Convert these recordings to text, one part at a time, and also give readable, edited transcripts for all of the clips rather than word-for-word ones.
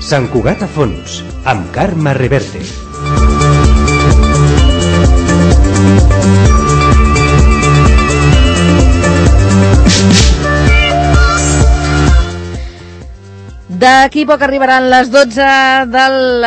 Sant Cugat a fons, amb Carme Reverte. D'aquí poc arribaran les 12 del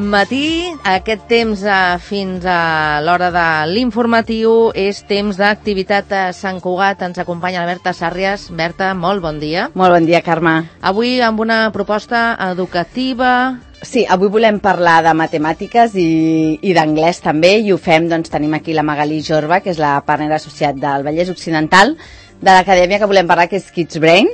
matí. Aquest temps fins a l'hora de l'informatiu és temps d'activitat a Sant Cugat. Ens acompanya la Berta Sàrries. Berta, molt bon dia. Molt bon dia, Carme. Avui amb una proposta educativa. Sí, avui volem parlar de matemàtiques i d'anglès també, i ho fem, doncs tenim aquí la Magalí Jorba, que és la partner associat del Vallès Occidental, de l'acadèmia que volem parlar, que és Kids Brain.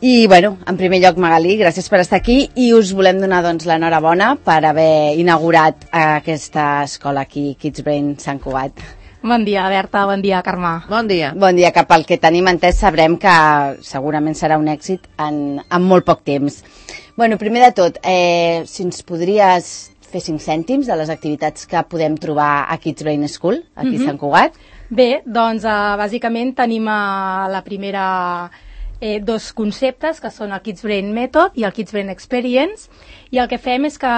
I, bueno, en primer lloc, Magalí, gràcies per estar aquí i us volem donar, doncs, l'enhorabona per haver inaugurat aquesta escola aquí, Kids Brain Sant Cugat. Bon dia, Berta, bon dia, Carme. Bon dia. Bon dia, que pel que tenim entès sabrem que segurament serà un èxit en molt poc temps. Bueno, primer de tot, si ens podries fer 5 cèntims de les activitats que podem trobar a Kids Brain School, aquí a Sant Cugat. Bé, doncs, bàsicament tenim la primera... dos conceptes, que són el Kids Brain Method i el Kids Brain Experience, i el que fem és que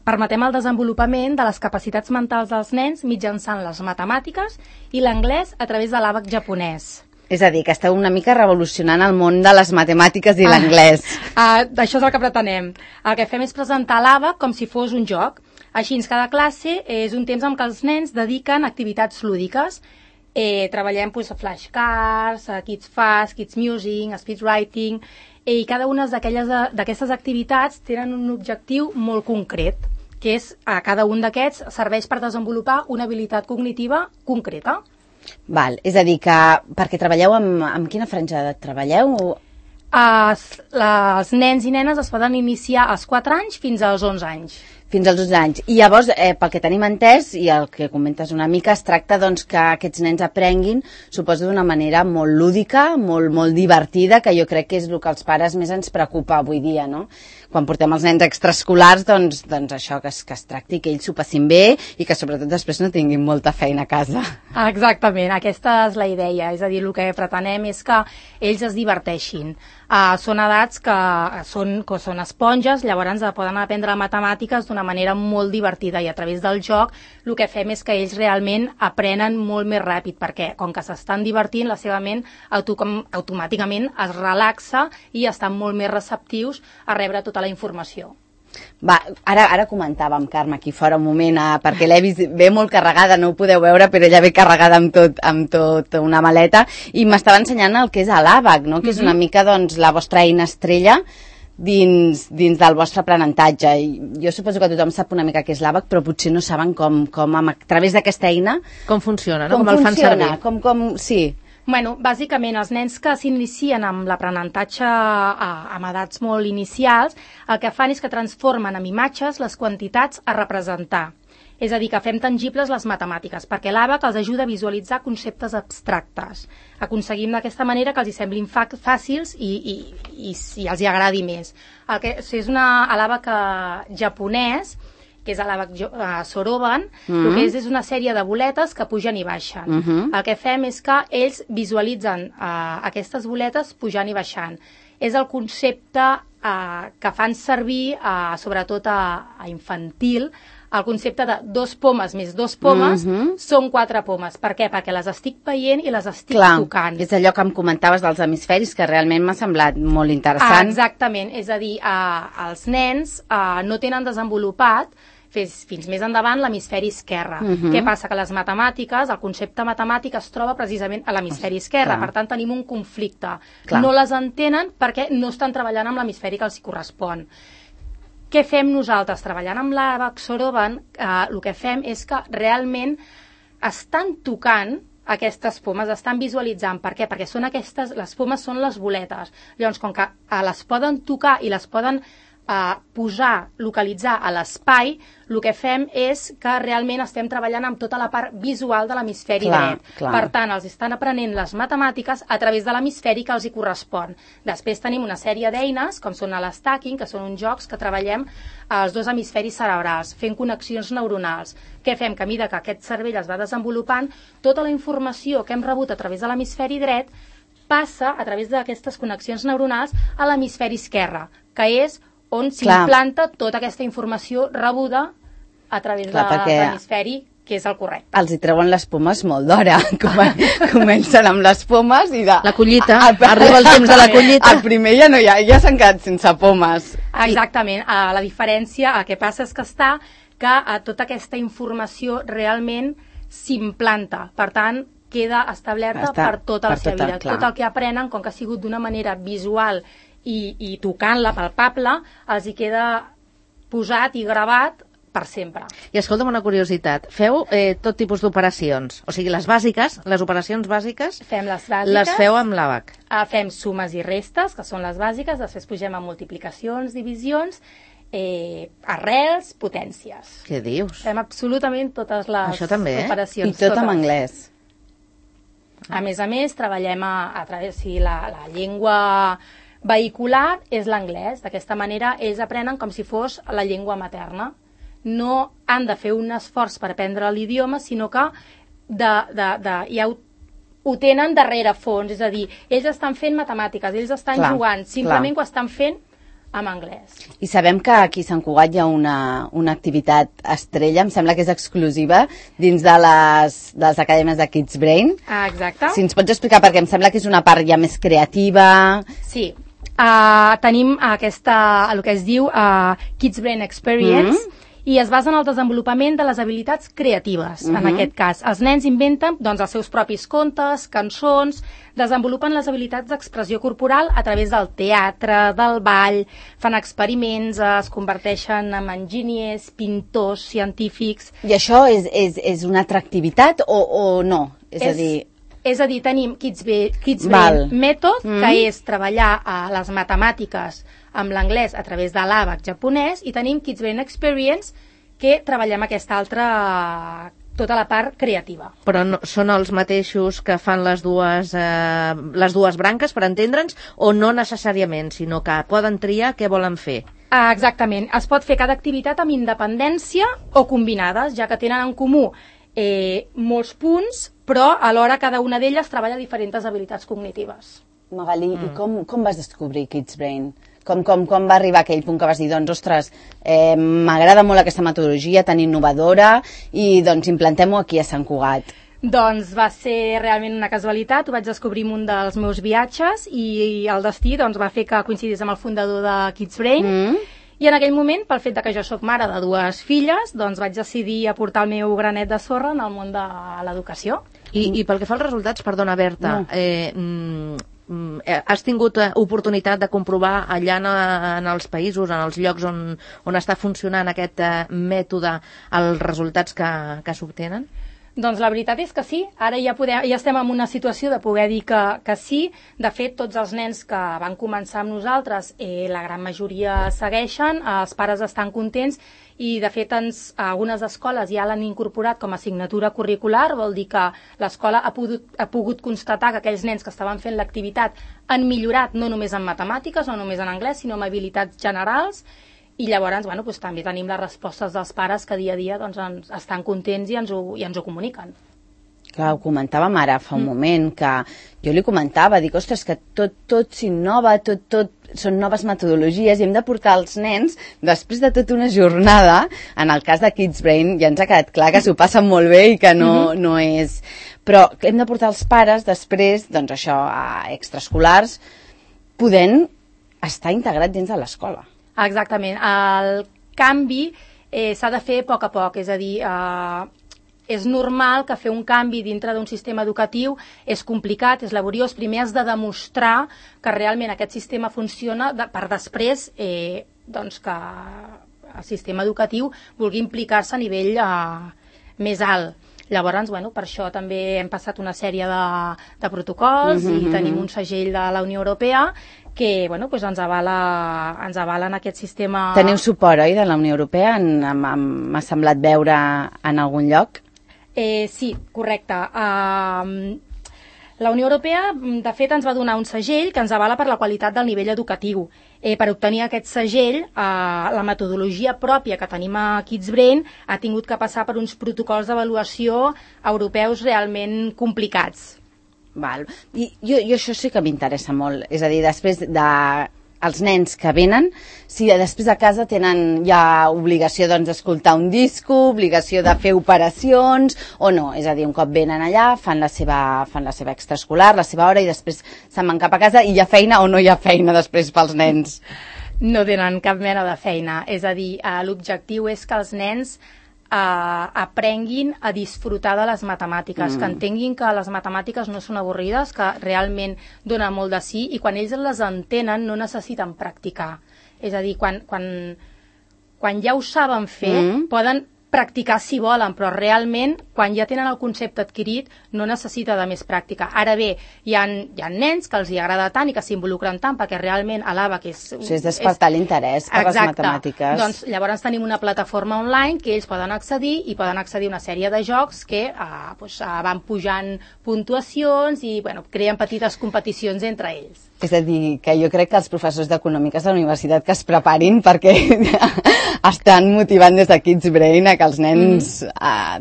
permetem el desenvolupament de les capacitats mentals dels nens mitjançant les matemàtiques i l'anglès a través de l'àbac japonès. És a dir, que esteu una mica revolucionant el món de les matemàtiques i l'anglès. Això és el que pretenem. El que fem és presentar l'àbac com si fos un joc. Així, cada classe és un temps en què els nens dediquen activitats lúdiques. Treballem flashcards, Kids Fast, Kids Music, Speed Writing, i cada una d'aquestes activitats tenen un objectiu molt concret, que és cada un d'aquests serveix per desenvolupar una habilitat cognitiva concreta. Val, és a dir, que perquè treballeu amb quina franja d'edat treballeu? Els nens i nenes es poden iniciar als 4 anys fins als 11 anys. Fins als 12 anys. I llavors, pel que tenim entès, i el que comentes una mica, es tracta doncs, que aquests nens aprenguin, suposo d'una manera molt lúdica, molt divertida, que jo crec que és el que als pares més ens preocupa avui dia, no? Quan portem els nens extraescolars, doncs això, que es tracti, que ells s'ho passin bé i que sobretot després no tinguin molta feina a casa. Exactament, aquesta és la idea. És a dir, el que pretenem és que ells es diverteixin. Són edats que són esponges, llavors poden aprendre matemàtiques d'una manera molt divertida, i a través del joc el que fem és que ells realment aprenen molt més ràpid, perquè com que s'estan divertint, la seva ment automàticament es relaxa i estan molt més receptius a rebre tota la informació. Va, ara comentàvem, Carme, aquí fora un moment, perquè l'he vist, ve molt carregada, no ho podeu veure, però ella ve carregada amb tot una maleta, i m'estava ensenyant el que és l'àbac, no? Que és una mica, doncs, la vostra eina estrella dins del vostre aprenentatge. I jo suposo que tothom sap una mica què és l'àbac, però potser no saben com a través d'aquesta eina... Com funciona, no? Com el fan servir. Sí. Bueno, bàsicament, els nens que s'inicien amb l'aprenentatge amb edats molt inicials, el que fan és que transformen en imatges les quantitats a representar. És a dir, que fem tangibles les matemàtiques, perquè l'àbac els ajuda a visualitzar conceptes abstractes. Aconseguim d'aquesta manera que els hi semblin fàcils i els hi agradi més. És l'àbac japonès, que és l'àbac Soroban, el que és una sèrie de boletes que pugen i baixen. El que fem és que ells visualitzen aquestes boletes pujant i baixant. És el concepte que fan servir, sobretot a infantil, el concepte de 2 pomes més 2 pomes són 4 pomes. Per què? Perquè les estic veient i les estic tocant. És allò que em comentaves dels hemisferis, que realment m'ha semblat molt interessant. Exactament, és a dir, els nens no tenen desenvolupat fins més endavant l'hemisferi esquerre. Què passa? Que les matemàtiques, el concepte matemàtic es troba precisament a l'hemisferi esquerre, per tant tenim un conflicte. No les entenen perquè no estan treballant amb l'hemisferi que els correspon. Què fem nosaltres? Treballant amb l'àbac Soroban, el que fem és que realment estan tocant aquestes pomes, estan visualitzant. Per què? Perquè les pomes són les boletes. Llavors, com que les poden tocar i les poden localitzar a l'espai, el que fem és que realment estem treballant amb tota la part visual de l'hemisferi dret. Per tant, els estan aprenent les matemàtiques a través de l'hemisferi que els hi correspon. Després tenim una sèrie d'eines, com són l'stacking, que són uns jocs que treballem els 2 hemisferis cerebrals, fent connexions neuronals. Què fem? Que a mesura que aquest cervell es va desenvolupant, tota la informació que hem rebut a través de l'hemisferi dret passa a través d'aquestes connexions neuronals a l'hemisferi esquerre, que és on s'implanta tota aquesta informació rebuda a través de l'hemisferi, que és el correcte. Els hi treuen les pomes molt d'hora. Comencen amb les pomes i la collita, arriba el temps de la collita. El primer ja no hi ha, ja s'han quedat sense pomes. Exactament. La diferència, el que passa és que tota aquesta informació realment s'implanta. Per tant, queda establerta per tota la seva vida. Tot el que aprenen, com que ha sigut d'una manera visual i tocant-la, palpable, els hi queda posat i gravat per sempre. I escolta'm una curiositat, feu tot tipus d'operacions? O sigui, les bàsiques, les operacions bàsiques, fem les bàsiques, les feu amb l'àbac? Fem sumes i restes, que són les bàsiques, després pugem a multiplicacions, divisions, arrels, potències. Què dius? Fem absolutament totes les operacions. I tot en anglès. A més, treballem a través de la llengua vehicular, és l'anglès. D'aquesta manera, ells aprenen com si fos la llengua materna. No han de fer un esforç per aprendre l'idioma, sinó que ja ho tenen darrere fons. És a dir, ells estan fent matemàtiques, ells estan jugant, simplement ho estan fent en anglès. I sabem que aquí a Sant Cugat hi ha una activitat estrella, em sembla que és exclusiva, dins de les acadèmies de Kids Brain. Exacte. Si ens pots explicar, perquè em sembla que és una part ja més creativa. Sí. Tenim el que es diu Kids Brain Experience, i es basa en el desenvolupament de les habilitats creatives, en aquest cas. Els nens inventen els seus propis contes, cançons, desenvolupen les habilitats d'expressió corporal a través del teatre, del ball, fan experiments, es converteixen en enginyers, pintors, científics... I això és una atractivitat o no? És a dir, tenim Kids Brain Method, que és treballar les matemàtiques amb l'anglès a través de l'àbac japonès, i tenim Kids Brain Experience, que treballem aquesta altra, tota la part creativa. Però no, són els mateixos que fan les dues branques, per entendre'ns, o no necessàriament, sinó que poden triar què volen fer? Exactament. Es pot fer cada activitat amb independència o combinades, ja que tenen en comú molts punts, però alhora cada una d'elles treballa diferents habilitats cognitives. Magalí, i com vas descobrir Kids Brain? Com va arribar aquell punt que vas dir, doncs, ostres, m'agrada molt aquesta metodologia tan innovadora i doncs implantem-ho aquí a Sant Cugat? Doncs va ser realment una casualitat, ho vaig descobrir en un dels meus viatges i el destí va fer que coincidís amb el fundador de Kids Brain. I en aquell moment, pel fet que jo sóc mare de dues filles, doncs vaig decidir aportar el meu granet de sorra en el món de l'educació. I pel que fa als resultats, perdona, Berta, has tingut oportunitat de comprovar allà en els països, en els llocs on està funcionant aquest mètode, els resultats que s'obtenen? Doncs la veritat és que sí, ara ja estem en una situació de poder dir que sí. De fet, tots els nens que van començar amb nosaltres, la gran majoria segueixen, els pares estan contents i de fet algunes escoles ja l'han incorporat com a assignatura curricular, vol dir que l'escola ha pogut constatar que aquells nens que estaven fent l'activitat han millorat no només en matemàtiques, no només en anglès, sinó en habilitats generals. I llavors, també tenim les respostes dels pares que dia a dia estan contents i ens ho comuniquen. Clar, ho comentàvem ara fa un moment, que jo li comentava, dic, ostres, que tot s'innova, tot són noves metodologies i hem de portar els nens, després de tota una jornada, en el cas de Kids Brain ja ens ha quedat clar que s'ho passen molt bé i que no és... Però hem de portar els pares després, doncs això, a extraescolars, podent estar integrat dins de l'escola. Exactament. El canvi s'ha de fer a poc, és a dir, és normal que fer un canvi dintre d'un sistema educatiu és complicat, és laboriós. Primer has de demostrar que realment aquest sistema funciona per després que el sistema educatiu vulgui implicar-se a nivell més alt. Llavors, per això també hem passat una sèrie de protocols i tenim un segell de la Unió Europea que ens avala en aquest sistema... Teniu suport, oi, de la Unió Europea? M'ha semblat veure en algun lloc? Sí, correcte. La Unió Europea, de fet, ens va donar un segell que ens avala per la qualitat del nivell educatiu. Per obtenir aquest segell, la metodologia pròpia que tenim a Kids Brain ha tingut que passar per uns protocols d'avaluació europeus realment complicats. Val. I jo això sí que m'interessa molt. És a dir, després de els nens que venen, si després a casa tenen ja obligació d'escoltar un disco, obligació de fer operacions, o no. És a dir, un cop venen allà, fan la seva extraescolar, la seva hora, i després se'n van cap a casa i hi ha feina o no hi ha feina després pels nens. No tenen cap mena de feina. És a dir, l'objectiu és que els nens aprenguin a disfrutar de les matemàtiques, que entenguin que les matemàtiques no són avorrides, que realment donen molt de sí, i quan ells les entenen no necessiten practicar. És a dir, quan ja ho saben fer, poden practicar si volen, però realment, quan ja tenen el concepte adquirit, no necessita de més pràctica. Ara bé, hi ha nens que els hi agrada tant i que s'involucren tant, perquè realment a l'ABAC és despertar l'interès per les matemàtiques. Doncs llavors tenim una plataforma online que ells poden accedir, i poden accedir a una sèrie de jocs que van pujant puntuacions i creen petites competicions entre ells. És a dir, que jo crec que els professors d'econòmiques de la universitat que es preparin, perquè estan motivant des de Kids Brain a que els nens,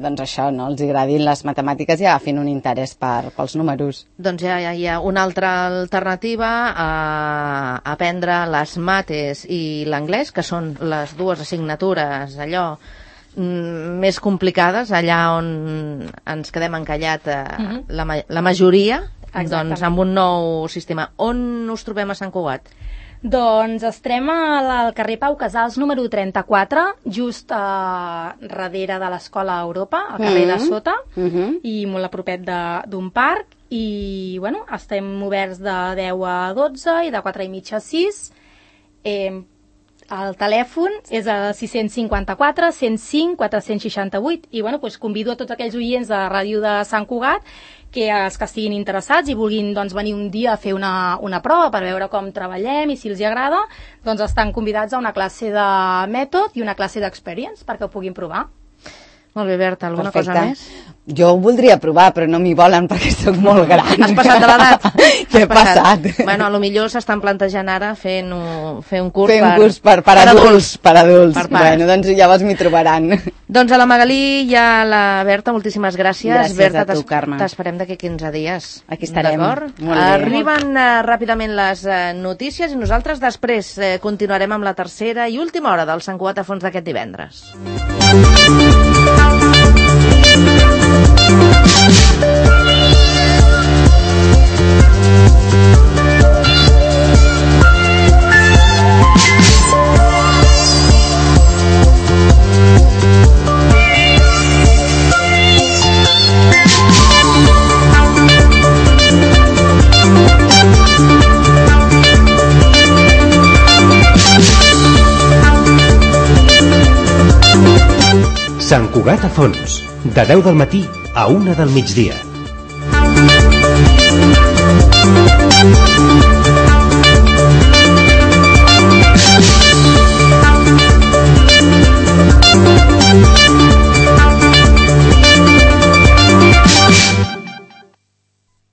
doncs això, no, els agradin les matemàtiques i agafin un interès pels números. Doncs ja hi ha una altra alternativa a aprendre les mates i l'anglès, que són les dues assignatures allò més complicades, allà on ens quedem encallat la majoria. Doncs amb un nou sistema. On us trobem a Sant Cugat? Doncs estem al carrer Pau Casals número 34, just darrere de l'Escola Europa, al carrer de sota, i molt a propet d'un parc, i estem oberts de 10 a 12 i de 4 i mitja a 6. El telèfon és el 654 105 468, i convido a tots aquells oients de Ràdio de Sant Cugat que els que estiguin interessats i vulguin venir un dia a fer una prova per veure com treballem i si els agrada, doncs estan convidats a una classe de mètode i una classe d'experience perquè ho puguin provar. Molt bé, Berta, alguna cosa més? Jo ho voldria provar, però no m'hi volen perquè soc molt gran. Has passat de l'edat? Què he passat? Bueno, potser s'estan plantejant ara fer un curs per adults. Bueno, doncs llavors m'hi trobaran. Doncs a la Magalí i a la Berta, moltíssimes gràcies. Gràcies Berta, a tu, Carme. T'esperem d'aquí 15 dies. Aquí estarem. D'acord? Arriben ràpidament les notícies i nosaltres després continuarem amb la tercera i última hora del Sant Cugat a fons d'aquest divendres. Sant Cugat a fons, de 10 del matí a 1 del migdia.